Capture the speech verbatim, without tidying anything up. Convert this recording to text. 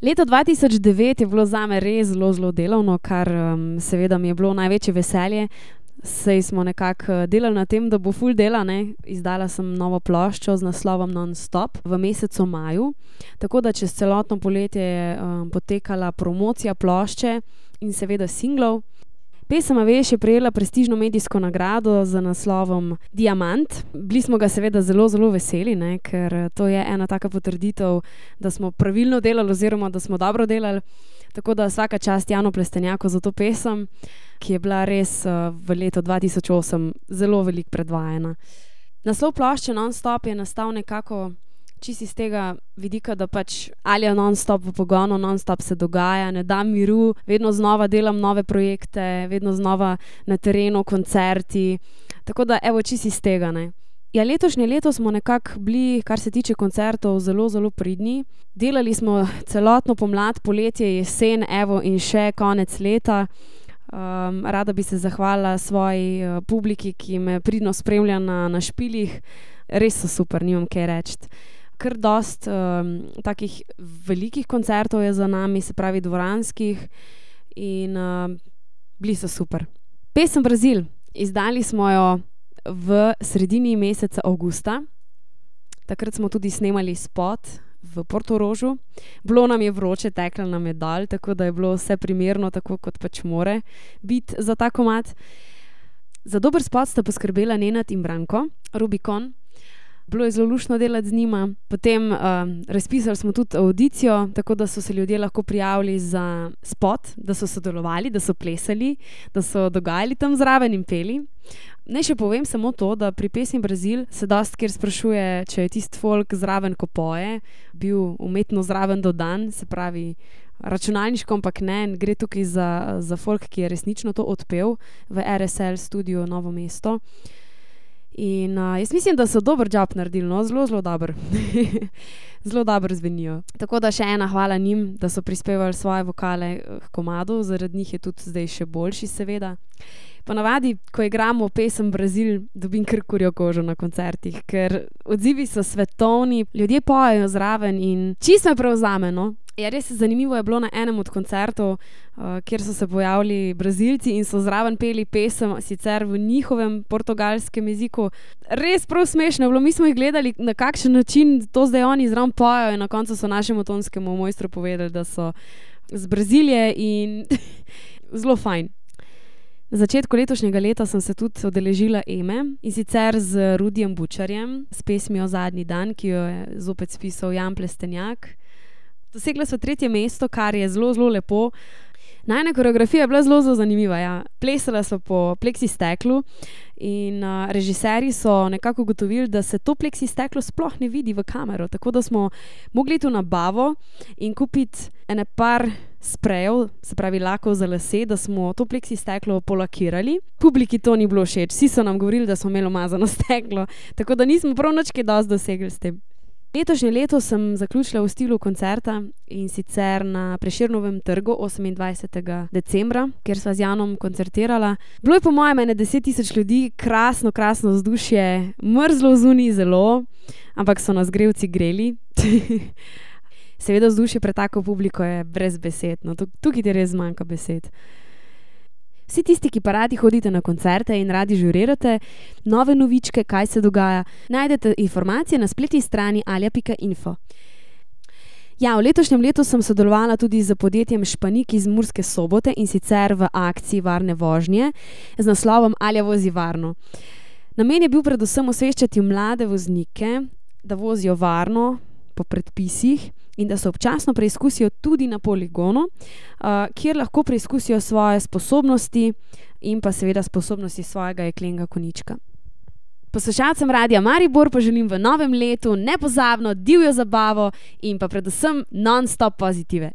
Leto dva tisoč devet je bilo zame res zelo, zelo delovno, kar um, seveda mi je bilo največje veselje. Saj smo nekako delali na tem, da bo ful dela, ne. Izdala sem novo ploščo z naslovom Non-stop v mesecu maju, tako da čez celotno poletje je um, potekala promocija plošče in seveda singlov. Pesem A veš je prejela prestižno medijsko nagrado z naslovom Diamant. Bili smo ga seveda zelo, zelo veseli, ne, ker to je ena taka potrditev, da smo pravilno delali oziroma da smo dobro delali. Tako da vsaka čast Janu Plestenjaku za to pesem, ki je bila res uh, v letu dva tisoč osem zelo veliko predvajana. Naslov plošče Non-stop je nastal nekako čisto iz tega vidika, da pač Alja non-stop v pogonu, non-stop se dogaja, ne dam miru, vedno znova delam nove projekte, vedno znova na terenu, koncerti. Tako da evo čisto iz tega, ne. Ja, letošnje leto smo nekako bili, kar se tiče koncertov, zelo, zelo pridni. Delali smo celotno pomlad, poletje, jesen, evo in še konec leta. Um, rada bi se zahvalila svoji uh, publiki, ki me pridno spremlja na, na špilih. Res so super, nimam kaj reči. Kar dost um, takih velikih koncertov je za nami, se pravi dvoranskih, in uh, bili so super. Pesem Brazil, izdali smo jo v sredini meseca avgusta. Takrat smo tudi snemali spot v Portorožu. Bilo nam je vroče, teklo nam je dol, tako da je bilo vse primerno, tako kot pač more biti za ta komad. Za dober spot sta poskrbela Nenad in Branko, Rubikon. Bilo je zelo luštno delati z njima. Potem uh, razpisali smo tudi audicijo, tako da so se ljudje lahko prijavili za spot, da so sodelovali, da so plesali, da so dogajali tam zraven in peli. Naj še povem samo to, da pri pesmi Brazil se dosti kjer sprašuje, če je tisti folk zraven, ko poje, bil umetno zraven dodan, se pravi računalniško, ampak ne, gre tukaj za, za folk, ki je resnično to odpel v R S L studio Novo mesto. In uh, jaz mislim, da so dober job naredili, no, zelo, zelo dober. Zelo dobro zvenijo. Tako da še ena hvala njim, da so prispevali svoje vokale k komadu, zaradi njih je tudi zdaj še boljši, seveda. Ponavadi, ko igramo pesem Brazil, dobim kar kurjo kožo na koncertih, ker odzivi so svetovni, ljudje pojejo zraven in čisto me prevzame, no. Ja, res zanimivo je bilo na enem od koncertov, uh, kjer so se pojavili Brazilci in so zraven peli pesem, sicer v njihovem portugalskem jeziku. Res prav smešno je bilo, mi smo jih gledali, na kakšen način to zdaj oni zraven pojejo, in na koncu so našemu tonskemu mojstru povedali, da so z Brazilije in zelo fajn. Na začetku letošnjega leta sem se tudi udeležila Eme, in sicer z Rudijem Bučarjem, s pesmijo Zadnji dan, ki jo je zopet spisal Jan Plestenjak. Dosegla so tretje mesto, kar je zelo, zelo lepo. Najina koreografija je bila zelo, zelo zanimiva, ja. Plesala so po pleksisteklu in uh, režiserji so nekako ugotovili, da se to pleksisteklo sploh ne vidi v kamero, tako da smo mogli iti v nabavo in kupiti ene par sprejev, se pravi lakov za lase, da smo to pleksisteklo polakirali. Publiki to ni bilo všeč, vsi so nam govorili, da smo imeli umazano steklo, tako da nismo prav nič kaj dosti dosegli s tem. Letošnje leto sem zaključila v stilu koncerta, in sicer na Prešernovem trgu osemindvajsetega decembra, kjer sva z Janom koncertirala. Bilo je po mojem ene deset tisoč ljudi, krasno, krasno vzdušje, mrzlo zunaj zelo, ampak so nas grelci greli. Seveda vzdušje pred tako publiko je brez besed, no, tukaj ti res zmanjka besed. Vsi tisti, ki pa radi hodite na koncerte in radi žurirate nove novičke, kaj se dogaja, najdete informacije na spletni strani alja pika info. Ja, v letošnjem letu sem sodelovala tudi z podjetjem Španik iz Murske Sobote, in sicer v akciji Varne vožnje z naslovom Alja vozi varno. Namen je bil predvsem osveščati mlade voznike, da vozijo varno po predpisih in da se občasno preizkusijo tudi na poligonu, uh, kjer lahko preizkusijo svoje sposobnosti in pa seveda sposobnosti svojega jeklenega konjička. Poslušalcem Radia Maribor pa želim v novem letu nepozabno divjo zabavo in pa predvsem non-stop pozitive.